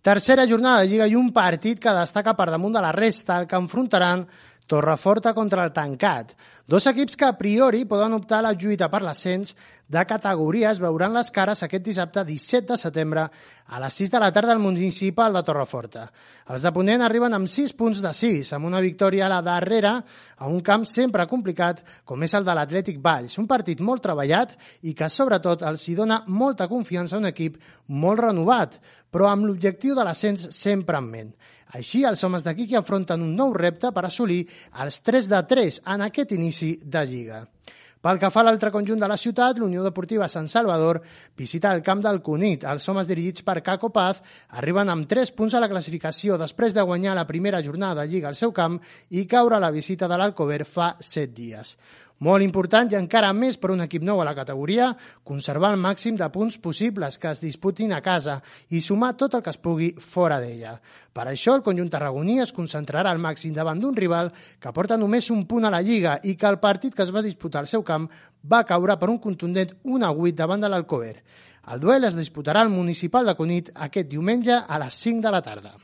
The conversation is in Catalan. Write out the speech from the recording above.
Tercera jornada de Lliga i un partit que destaca per damunt de la resta, el que enfrontaran Torreforta contra el Tancat. Dos equips que a priori poden optar a la lluita per l'ascens de categoria es veuran les cares aquest dissabte 17 de setembre a les 6 de la tarda al municipal de Torreforta. Els de Ponent arriben amb 6 punts de 6, amb una victòria a la darrera a un camp sempre complicat com és el de l'Atlètic Valls. Un partit molt treballat i que sobretot els hi dona molta confiança a un equip molt renovat, però amb l'objectiu de l'ascens sempre en ment. Així, els homes d'aquí que afronten un nou repte per assolir els 3 de 3 en aquest inici de Lliga. Pel que fa a l'altre conjunt de la ciutat, l'Unió Deportiva Sant Salvador visita el camp del Cunit. Els homes dirigits per Caco Paz arriben amb 3 punts a la classificació després de guanyar la primera jornada de Lliga al seu camp i caure a la visita de l'Alcover fa 7 dies. Molt important i encara més per un equip nou a la categoria, conservar el màxim de punts possibles que es disputin a casa i sumar tot el que es pugui fora d'ella. Per això el conjunt tarragoní es concentrarà al màxim davant d'un rival que porta només un punt a la Lliga i que el partit que es va disputar al seu camp va caure per un contundent 1-8 davant de l'Alcover. El duel es disputarà al municipal de Cunit aquest diumenge a les 5 de la tarda.